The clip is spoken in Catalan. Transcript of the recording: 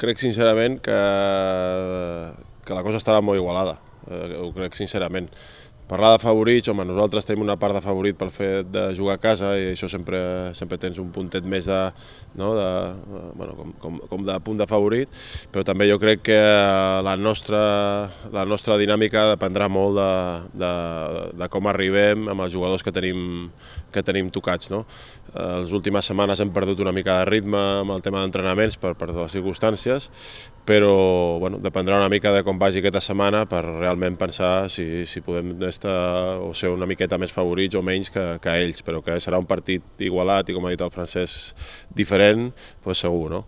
crec sincerament que la cosa estarà molt igualada, ho crec sincerament. Parlar de favorits, home, nosaltres tenim una part de favorit pel fet de jugar a casa i això sempre tens un puntet més de, no, com de punt de favorit, però també jo crec que la nostra dinàmica dependrà molt de com arribem amb els jugadors que tenim tocats, no? Les últimes setmanes hem perdut una mica de ritme amb el tema d'entrenaments per les circumstàncies, però bueno, dependrà una mica de com vagi aquesta setmana per realment pensar si podem estar o ser una miqueta més favorits o menys que ells, però que serà un partit igualat i, com ha dit el Francesc, diferent, doncs segur, no?